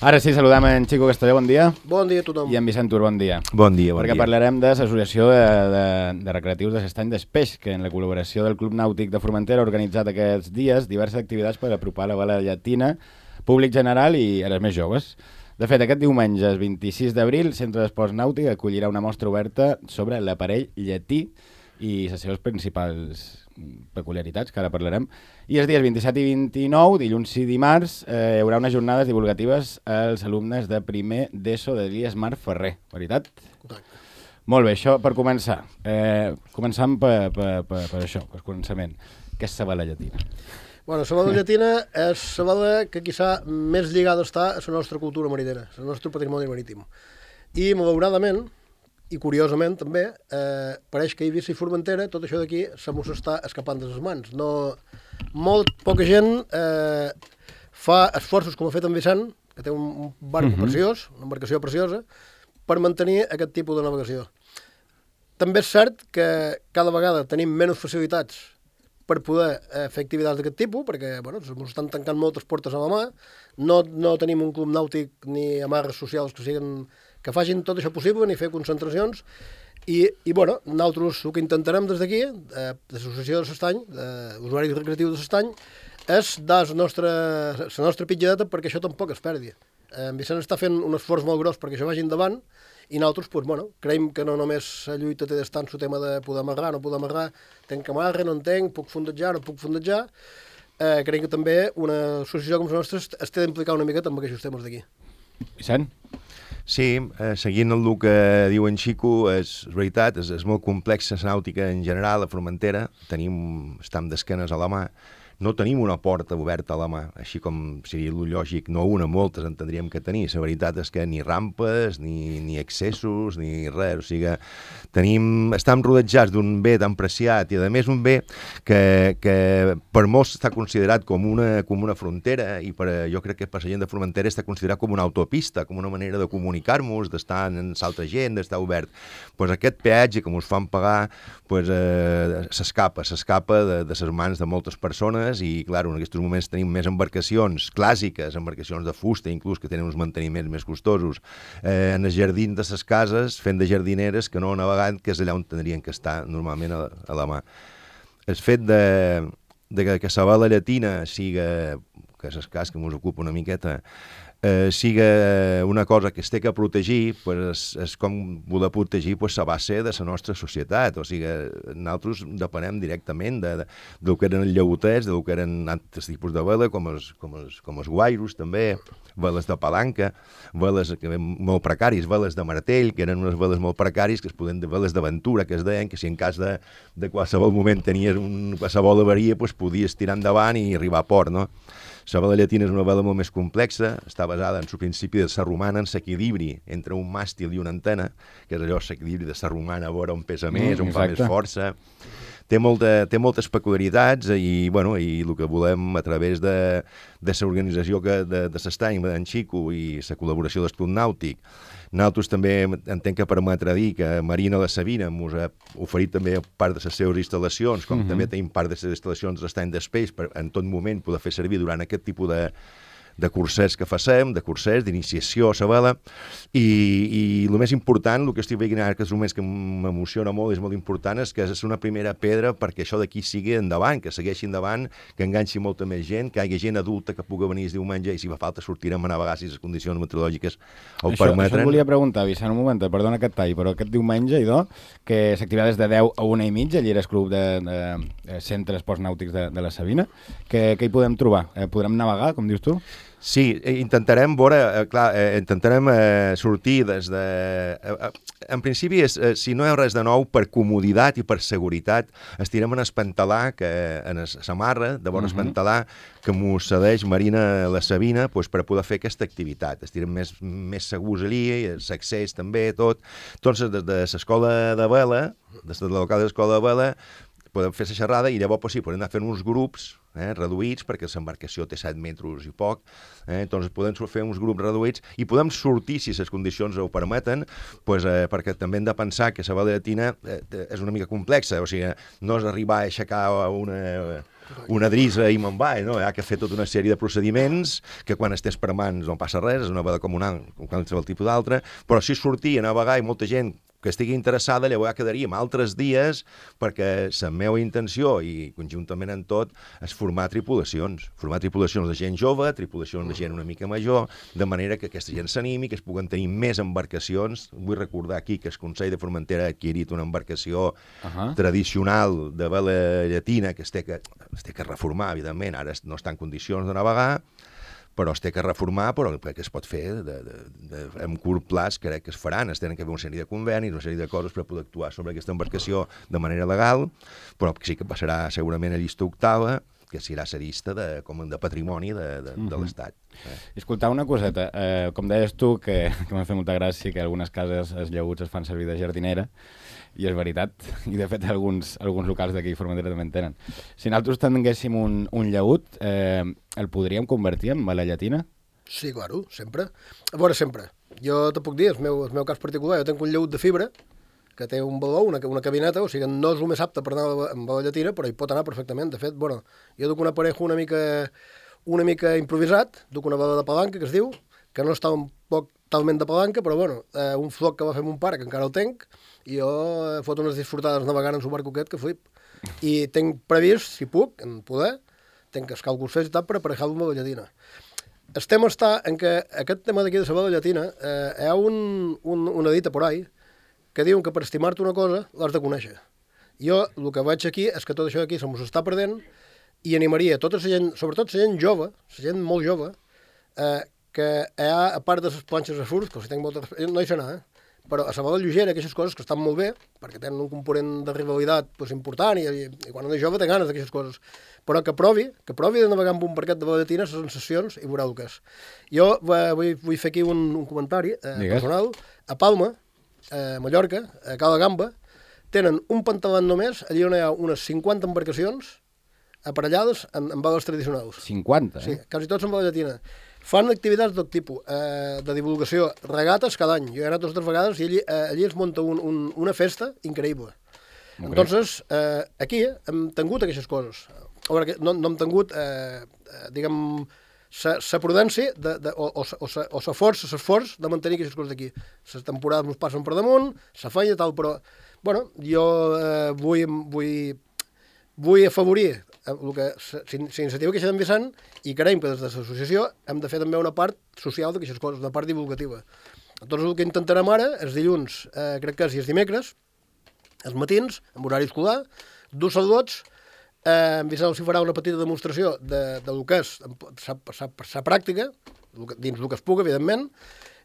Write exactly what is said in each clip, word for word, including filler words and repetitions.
Ara sí, saludem en Xico Castelló, bon dia. Bon dia a tothom. I en Vicent Tur, bon dia. Bon dia, bon Perquè dia. parlarem de l'Associació de, de, de Recreatius de l'Estany d'Espeix, que en la col·laboració del Club Nàutic de Formentera ha organitzat aquests dies diverses activitats per apropar la vela llatina, públic general i als més joves. De fet, aquest diumenge, el vint-i-sis d'abril, el Centre d'Esports Nàutic acollirà una mostra oberta sobre l'aparell llatí i les seves principals peculiaritats, que ara parlarem. I els dies vint-i-set i vint-i-nou, dilluns i dimarts, eh, hi haurà unes jornades divulgatives als alumnes de primer d'ESO de l'I E S Mar Ferrer, veritat? Correcte. Molt bé, això per començar. Eh, començant per, per, per, per això, per començament. Què és la vela llatina? Bueno, la vela llatina és la vela que quizà més lligada està a la nostra cultura marinera, al nostre patrimoni marítim. I, malauradament, i curiosament també, eh, pareix que a Eivissa i Formentera tot això d'aquí se mos està escapant de les mans. No, molt poca gent eh, fa esforços com ha fet en Vicent, que té un, un barco Mhm. preciós, una embarcació preciosa, per mantenir aquest tipus de navegació. També és cert que cada vegada tenim menys facilitats per poder eh, fer activitats d'aquest tipus, perquè bueno, ens estan tancant moltes portes a la mà, no, no tenim un club nàutic ni amarres socials que siguin que facin tot això possible, ni fer concentracions, i, i bueno, nosaltres el que intentarem des d'aquí, eh, de l'Associació de l'Estany, d'Usuaris Recreatius de l'Estany, és dar la nostra, la nostra pitjadeta perquè això tampoc es perdi. Eh, en Vicent està fent un esforç molt gros perquè això vagi endavant, i nosaltres, pues, bueno, creiem que no només la lluita té d'estar en el tema de poder amarrar, no poder amarrar, tenc que amarrar, no en tenc, puc fondejar, no puc fondejar, eh, creiem que també una associació com la nostra es té d'implicar una miqueta amb aquests temes d'aquí. Vicent? Sí, eh, seguint el que diu en Xico, és veritat, és, és molt complexa la nàutica en general a Formentera, tenim, estem d'esquenes a la mà, no tenim una porta oberta a la mà, així com seria el lògic, no una, moltes en tindríem que tenir. La veritat és que ni rampes, ni, ni accessos, ni res. O sigui, tenim, estem rodejats d'un bé tan preciat i, a més, un bé que, que per molts està considerat com una, com una frontera i per, jo crec que per la gent de Formentera està considerat com una autopista, com una manera de comunicar-nos, d'estar en l'altra gent, d'estar obert. Pues aquest peatge que ens fan pagar pues, eh, s'escapa, s'escapa de, de les mans de moltes persones i, clar, en aquests moments tenim més embarcacions clàssiques, embarcacions de fusta, inclús, que tenen uns manteniments més costosos, eh, en els jardins de les cases, fent de jardineres que no navegant, que és allà on tindrien que estar normalment a, a la mà. El fet de, de que, que la vela llatina siga, que és el cas que ens ocupa una miqueta, eh, siga una cosa que es té que protegir, pues és, és com voler protegir pues, la base de la nostra societat. O sigui, nosaltres depenem directament de, de, del que eren els llauters, del que eren altres tipus de vela, com els, com els, com els guairos, també, veles de palanca, veles que, molt precaris, veles de martell, que eren unes veles molt precaris, que es poden dir veles d'aventura, que es deien, que si en cas de, de qualsevol moment tenies un, qualsevol avaria, pues, podies tirar endavant i arribar a port, no? La vela llatina és una vela molt més complexa, està basada en el principi de la romana, en l'equilibri entre un màstil i una antena, que és allò, l'equilibri de la romana, a veure on pesa més, Mm, on fa exacte. més força. Té, molta, té moltes peculiaritats i, bueno, i el que volem a través de, de l'organització que, de, de l'Estany, d'en Xico i la col·laboració del Club Nàutic. Nosaltres també entenc que permetre dir que Marina La Sabina ens ha oferit també part de les seves instal·lacions, com Mhm. també tenim part de les instal·lacions de l'Estany d'Espeix per en tot moment poder fer servir durant aquest tipus de, de cursers que facem, de cursers, d'iniciació a la vela, i, i el més important, el que estic veient ara, que és el més que m'emociona molt, és molt important, és que és una primera pedra perquè això d'aquí sigui endavant, que segueixi endavant, que enganxi molta més gent, que hi hagi gent adulta que pugui venir el diumenge i si fa falta sortirem a navegar si les condicions meteorològiques ho Això, permetren. això et volia preguntar, Vicent, un moment, perdona aquest tall, però aquest diumenge, idò, que s'activitats de deu a una i mitja, allà és club de, de, de centre esports nàutics de, de la Sabina, que, que hi podem trobar? Eh, podrem navegar, com dius tu? Sí, intentarem veure, eh, clar, eh, intentarem eh, sortir des de... Eh, eh, en principi, és, eh, si no hi ha res de nou, per comoditat i per seguretat, estirem en el pantalà, que, en la samarra, de bon uh -huh. pantalà, que m'ho cedeix Marina La Sabina pues, per poder fer aquesta activitat. Estirem més, més segurs allí, l'accés també, tot. Entonces, des de l'escola de vela, des de la local de l'escola de vela, podem fer la xerrada i llavors pues, sí, podem anar fent uns grups eh, reduïts, perquè l'embarcació té set metres i poc, eh, doncs podem fer uns grups reduïts i podem sortir, si les condicions ho permeten, pues, eh, perquè també hem de pensar que la vela llatina eh, és una mica complexa, o sigui, no és arribar a aixecar una... una drisa i me'n va, no? Hi ha que fer tota una sèrie de procediments que quan estàs per mans no passa res, és una vela comunal, com qualsevol tipus d'altra, però si sortir a navegar i molta gent que estigui interessada, llavors ja quedaríem altres dies perquè la meva intenció, i conjuntament en tot, és formar tripulacions. Formar tripulacions de gent jove, tripulacions de gent una mica major, de manera que aquesta gent s'animi, que es puguen tenir més embarcacions. Vull recordar aquí que el Consell de Formentera ha adquirit una embarcació uh-huh. tradicional de vela llatina que es té que, es té que reformar, evidentment. Ara no està en condicions de navegar, però es té que reformar, però que es pot fer de, de, de, en curt plaç, crec que es faran, es tenen que fer una sèrie de convenis, una sèrie de coses per poder actuar sobre aquesta embarcació de manera legal, però sí que passarà segurament a llista octava, que serà la llista de, com de patrimoni de, de, de uh-huh. l'Estat. Eh? Escoltar una coseta, eh, com deies tu, que, que m'ha fet molta gràcia que algunes cases, els llaguts es fan servir de jardinera, i és veritat, i de fet alguns, alguns locals d'aquí a Formentera també en tenen. Si nosaltres tinguéssim un, un llagut, eh, el podríem convertir en vela llatina? Sí, claro, sempre. A veure, sempre. Jo te puc dir, el meu, el meu cas particular, jo tinc un llagut de fibra, que té un baló, una, una cabineta, o sigui, no és el més apte per anar amb vela llatina, però hi pot anar perfectament. De fet, bueno, jo duc un aparejo una mica, una mica improvisat, duc una vela de palanca, que es diu, que no està un poc talment de palanca, però bueno, eh, un floc que va fer mon pare, que encara el tenc, i jo eh, fot unes disfrutades navegant en su barco aquest que flip. I tinc previst, si puc, en poder, tinc els càlculs fets i tal per aparejar-lo amb la llatina. El tema està en que aquest tema d'aquí de la vela llatina, eh, hi ha un, un, una dita por ahí que diuen que per estimar-te una cosa l'has de conèixer. Jo el que veig aquí és que tot això aquí se mos està perdent i animaria tota la gent, sobretot la gent jove, la gent molt jove, eh, que hi ha, a part de les planxes de surf, que si tinc molta... no hi sé anar, eh? Però a la vela lleugera, aquestes coses que estan molt bé, perquè tenen un component de rivalitat pues, important, i, i, i quan un és jove té ganes d'aquestes coses, però que provi, que provi de navegar amb un barquet de vela llatina, les sensacions, i veurà el que és. Jo va, vull, vull fer aquí un, un comentari eh, personal. A Palma, a Mallorca, a Cala Gamba, tenen un pantalat només, allà on hi ha unes cinquanta embarcacions aparellades amb, amb veles tradicionals. cinquanta, eh? Sí, quasi tots amb vela llatina. Fan activitats de tot tipus, eh, de divulgació, regates cada any. Jo he anat dues o tres vegades i allí, eh, allí es munta un, un, una festa increïble. Okay. Entonces, eh, aquí hem tingut aquestes coses. A veure, no, no hem tingut, eh, eh, diguem, la prudència de, de, o, o, o, o la força, l'esforç de mantenir aquestes coses d'aquí. Les temporades ens passen per damunt, la feina, tal, però, bueno, jo eh, vull, vull, vull afavorir el que, la iniciativa que s'ha d'envissant i creiem que des de l'associació hem de fer també una part social d'aquestes coses, una part divulgativa. Doncs el que intentarem ara, els dilluns, eh, crec que és i els dimecres, els matins, amb horari escolar, dos saludots, eh, en Vicent els farà una petita demostració de, de lo que és la pràctica, dins el que es puga, evidentment,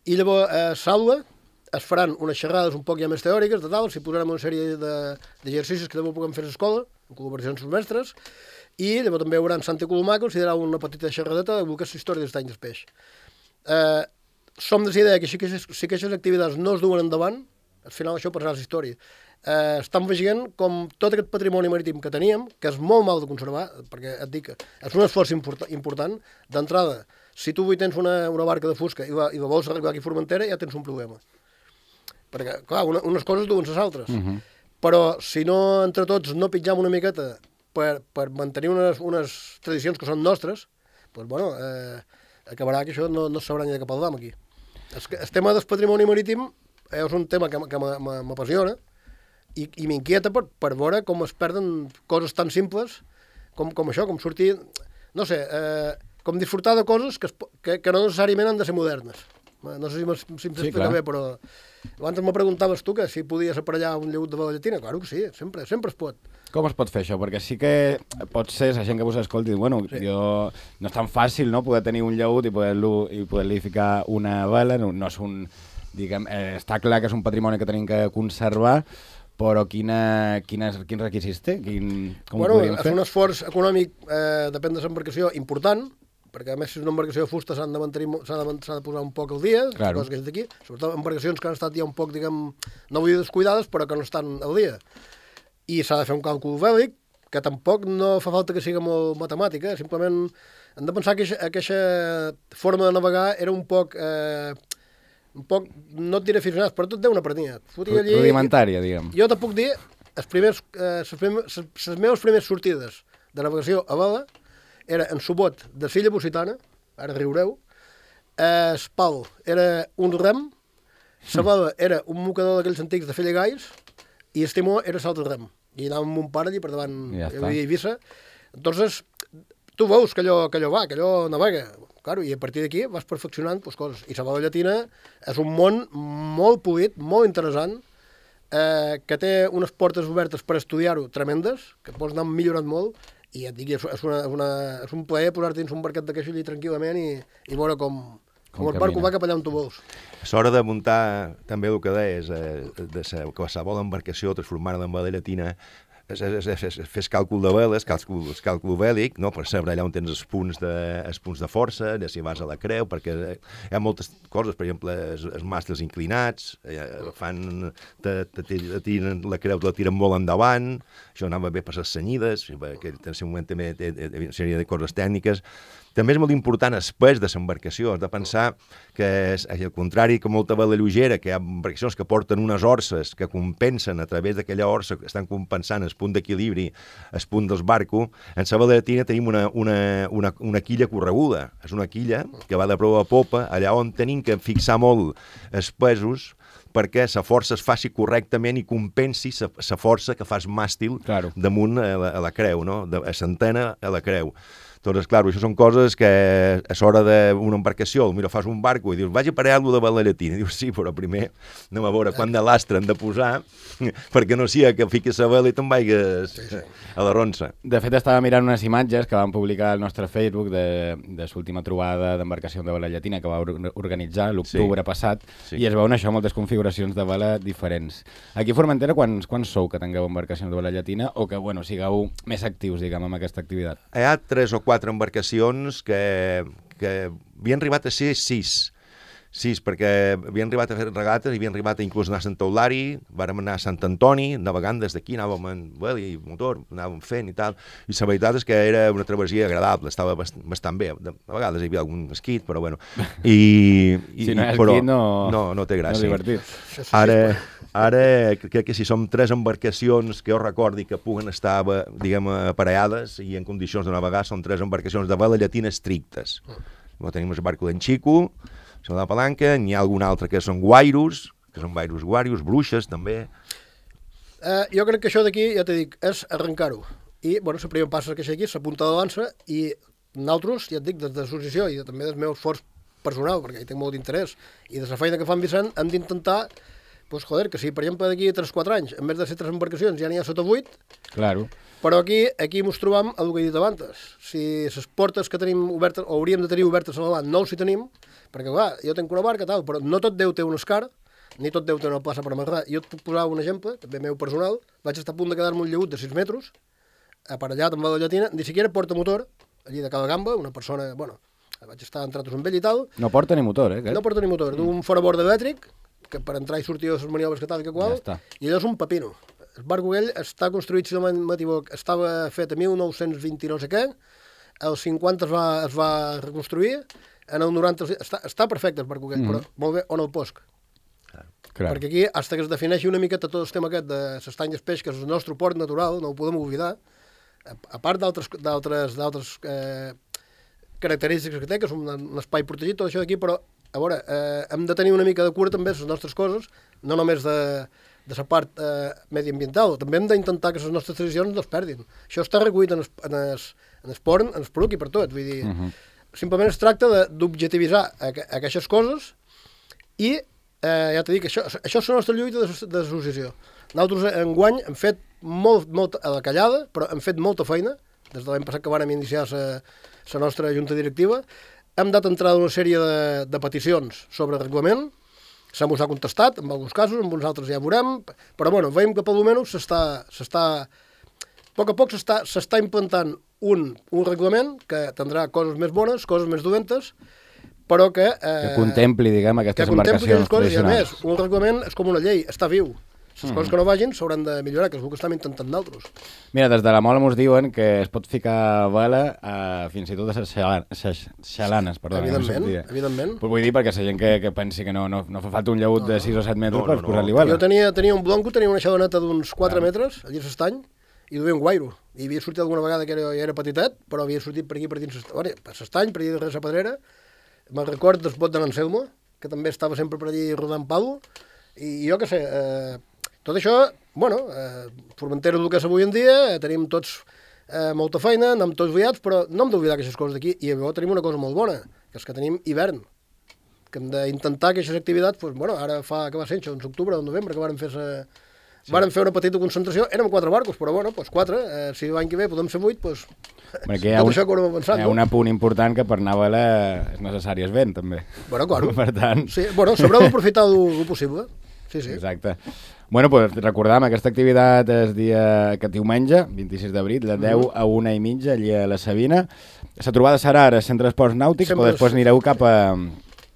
i llavors a eh, Saula es faran unes xerrades un poc ja més teòriques, de tal, s'hi posarem una sèrie d'exercicis que també puguem fer a l'escola, en col·laboració amb els mestres, i llavors també hi haurà en Santa Colomà, que considerarà una petita xerradeta de que és la història dels anys del peix. Eh, som de la idea que si aquestes activitats no es duen endavant, al final això passarà a la història. Eh, estem veient com tot aquest patrimoni marítim que teníem, que és molt mal de conservar, perquè et dic que és un esforç import, important, d'entrada, si tu avui tens una, una barca de fusca i la, i la vols arribar aquí a Formentera, ja tens un problema. Perquè, clar, una, unes coses duen les altres. Uh -huh. Però si no, entre tots, no pitjam una miqueta per, per mantenir unes, unes tradicions que són nostres, doncs, bueno, eh, acabarà que això no, no sabrà ni de cap al dam aquí. El, el tema del patrimoni marítim és un tema que, que m'apassiona i, i m'inquieta per, per veure com es perden coses tan simples com, com això, com sortir, no sé, eh, com disfrutar de coses que, es, que, que no necessàriament han de ser modernes. No sé si m'explica sí, bé, però abans me preguntaves tu que si podies aparellar un llegut de vela llatina. Claro que sí, sempre, sempre es pot. Com es pot fer això? Perquè sí que pot ser la gent que vos escolti, bueno, sí. jo, no és tan fàcil, no?, poder tenir un llegut i poder-li poder ficar una vela, no, no és un, diguem, eh, està clar que és un patrimoni que tenim que conservar, però quina, quines, quins requisits té? Quin, com bueno, ho podríem fer? És un esforç econòmic, eh, depèn de l'embarcació, important, perquè a més si és una embarcació de fusta s'ha de, de, de posar un poc al dia, claro. Coses que és d'aquí, sobretot embarcacions que han estat ja un poc, diguem, no vull dir descuidades, però que no estan al dia. i s'ha de fer un càlcul bèl·lic, que tampoc no fa falta que sigui molt matemàtica, simplement hem de pensar que aquesta forma de navegar era un poc, eh, un poc no et diré aficionats, però tot deu una prenia. Rudimentària, diguem. Jo te puc dir, les primers, eh, les, les meves primeres sortides de navegació a vela era en Subot de Silla Bossitana, ara riureu, eh, Espal era un rem, la vela era un mocador d'aquells antics de fer llegais i el timó era salt de rem. I anàvem amb un pare allí per davant, ja hi havia Eivissa. Entonces, tu veus que allò, que allò va, que allò navega. Claro, i a partir d'aquí vas perfeccionant pues, coses. I la vela llatina és un món molt polit, molt interessant, eh, que té unes portes obertes per estudiar-ho tremendes, que pots anar millorant molt, i et dic, és, una, una, és un plaer posar-te dins un barquet de queixa allí tranquil·lament i, i veure com, com, com el barco va cap allà on tu vols. És hora de muntar també el que deies, eh, de sa, qualsevol embarcació, transformar-la en vela llatina, és, és, és, és, fes càlcul de veles, càlcul, càlcul bèl·lic, no? Per saber allà on tens els punts de, els punts de força, de si vas a la creu, perquè hi ha moltes coses, per exemple, els, els màstils inclinats, eh, fan, te, te, te tiren, la creu la tiren molt endavant, això anava bé per les senyides, que en un moment també té una sèrie de coses tècniques. També és molt important el pes de l'embarcació. Has de pensar que, és, al contrari que molta vela lleugera, que hi ha embarcacions que porten unes orses que compensen a través d'aquella orsa, que estan compensant el punt d'equilibri, el punt del barco, en la vela llatina tenim una, una, una, una quilla correguda. És una quilla que va de proa a popa, allà on tenim que fixar molt els pesos perquè la força es faci correctament i compensi la força que fas màstil claro. Damunt a la, a la creu, no? De, a l'antena a la creu. Doncs, clar, això són coses que a l'hora d'una embarcació, mira, fas un barco i dius, vaig a parar-lo de vela llatina. Dius, sí, però primer anem a veure quant de lastre han de posar perquè no sigui que fiquis la vela i te'n vaigues sí, sí. a la ronsa. De fet, estava mirant unes imatges que vam publicar al nostre Facebook de, de l'última trobada d'embarcació de vela llatina que va organitzar l'octubre sí. passat sí. i es veuen això, moltes configuracions de vela diferents. Aquí a Formentera, quants, quants sou que tingueu embarcacions de vela llatina o que, bueno, sigueu més actius, diguem, amb aquesta activitat? Hi ha tres o quatre quatre embarcacions que, que havien arribat a ser sis. Sis, perquè havien arribat a fer regates, havien arribat a inclús anar a Sant Eulari, vàrem anar a Sant Antoni, navegant des d'aquí, anàvem en vela i motor, anàvem fent i tal. I la veritat és que era una travessia agradable, estava bastant bé. De, a vegades hi havia algun esquit, però bueno. I, i, si no hi ha però, esquit, no, no, no té gràcia. No és divertit. Ara... Ara crec que si som tres embarcacions que jo recordi que puguen estar, diguem, aparellades i en condicions de navegar, són tres embarcacions de vela llatina estrictes. Mm. Tenim el barco d'en Xico, la de Palanca, n'hi ha algun altre que són guairos, que són guairos guarios, bruixes també. Uh, jo crec que això d'aquí, ja t'he dit, és arrencar-ho. I, bueno, la primera passa que això aquí, la punta de dansa, i nosaltres, ja et dic, des de l'associació i també del meu esforç personal, perquè hi tinc molt d'interès, i de la feina que fan Vicent, hem d'intentar pues, joder, que si, per exemple, d'aquí a tres o quatre anys, en vez de ser tres embarcacions, ja n'hi ha sota vuit, claro. Però aquí aquí ens trobam el que he dit abans. Si les portes que tenim obertes, o hauríem de tenir obertes a l'avant, no ho si tenim, perquè, clar, jo tenc una barca, tal, però no tot Déu té un escar, ni tot Déu té una plaça per amarrar. Jo et puc posar un exemple, també meu personal, vaig estar a punt de quedar-me un llegut de sis metres, aparellat amb la llatina, ni siquiera porta motor, allí de cada gamba, una persona, bueno, vaig estar en tratos amb ell i tal. No porta ni motor, eh? Aquest? No porta ni motor, d'un forabord elèctric, que per entrar i sortir de les maniobres que tal que qual, ja i allò és un pepino. El barco aquell està construït, si no m'equivoc, estava fet a mil nou-cents vint i no sé què, als cinquanta es va, es va reconstruir, en el noranta... Està, està perfecte el barco aquell, mm -hmm. però molt bé, on el posc? Clar. Perquè aquí, fins que es defineixi una miqueta tot el tema aquest de l'estany d'espeix, que és el nostre port natural, no ho podem oblidar, a part d'altres eh, característiques que té, que és un, un espai protegit, tot això d'aquí, però a veure, eh, hem de tenir una mica de cura també les nostres coses, no només de, de la part eh, mediambiental, també hem d'intentar que les nostres tradicions no es perdin. Això està recollit en el, en el, en el port, en el poruc i per tot, vull dir, uh -huh. simplement es tracta d'objectivitzar aquestes coses i, eh, ja t'he dit, això, això és la nostra lluita de l'associació. Nosaltres enguany hem fet molt, molt a la callada, però hem fet molta feina, des de l'any passat que vam iniciar la nostra junta directiva. Hem dat entrada una sèrie de, de peticions sobre el reglament, se mos ha contestat, en alguns casos, en uns altres ja veurem, però bueno, veiem que per almenys s'està, s'està, a poc a poc s'està implantant un, un reglament que tindrà coses més bones, coses més dolentes, però que... Eh, que contempli, diguem, aquestes embarcacions tradicionals. I a més, un reglament és com una llei, està viu. Les mm. coses que no vagin s'hauran de millorar, que és el que estem intentant d'altres. Mira, des de la Mola mos diuen que es pot ficar vela a, fins i tot a les xalanes, perdó. Evidentment, no evidentment. Pues vull dir perquè la gent que, que pensi que no, no, no fa falta un llaut no, de sis o set metres no, per no, posar-li vela. Jo tenia, tenia un blanco, tenia una xaloneta d'uns quatre ah. metres, a dins l'estany, i duia un guairo. I havia sortit alguna vegada que era, ja era petitet, però havia sortit per aquí, per dins l'estany, per allà darrere la pedrera. Me'n record del bot de l'Anselmo, que també estava sempre per allí rodant palo, i jo què sé, eh, tot això, bueno, eh, Formentera és el que és avui en dia, eh, tenim tots eh, molta feina, anem tots liats, però no hem d'oblidar aquestes coses d'aquí, i llavors tenim una cosa molt bona, que és que tenim hivern, que hem d'intentar que aquestes activitats, doncs, bueno, ara fa, que va ser, això, en octubre o novembre, que vàrem fer sa, sí. vàrem fer una petita concentració, érem quatre barcos, però bueno, doncs quatre, eh, si l'any que ve podem ser vuit, doncs, bueno, hi ha tot un, això que haurem pensat. Hi ha no? un punt important que per anar a vela és necessari el vent, també. Bueno, claro. Per tant... Sí, bueno, sabreu aprofitar el possible. Sí, sí. Exacte. Bueno, pues recordam, aquesta activitat és dia, aquest diumenge, vint-i-sis d'abril, de deu a una i mitja, allà a la Sabina. La trobada serà ara al Centre d'Esports Nàutics, Sempre però després anireu cap a,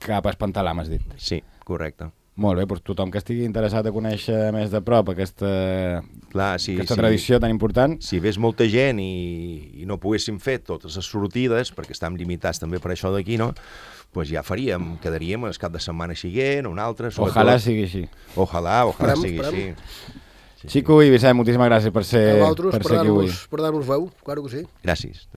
cap a Espantalà, m'has dit. Sí, correcte. Molt bé, doncs tothom que estigui interessat a conèixer més de prop aquesta, Clar, sí, aquesta sí. tradició tan important. Si ves molta gent i, i no poguéssim fer totes les sortides, perquè estem limitats també per això d'aquí, no? Pues ja faríem, quedaríem el cap de setmana siguent o un altre. Ojalà sigui així. Ojalà, ojalà esperem, sigui esperem. així. Sí, Xico sí. i Vicent, moltíssimes gràcies per ser, per per ser aquí avui. Per dar-nos veu, claro que sí. Gràcies.